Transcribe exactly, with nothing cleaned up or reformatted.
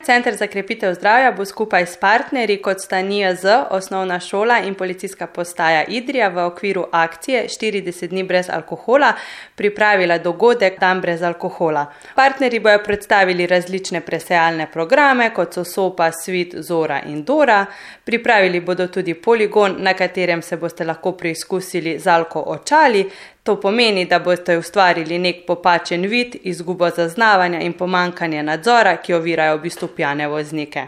Center za krepitev zdravja bo skupaj s partnerji, kot sta N I J Z, osnovna šola in policijska postaja Idrija, v okviru akcije štirideset dni brez alkohola pripravila dogodek Dan brez alkohola. Partnerji bojo predstavili različne presejalne programe, kot so Sopa, Svit, Zora in Dora. Pripravili bodo tudi poligon, na katerem se boste lahko preizkusili z alko očali. To pomeni, da boste ustvarili nek popačen vid, izgubo zaznavanja in pomanjkanje nadzora, ki ovirajo v bistvu pijane voznike.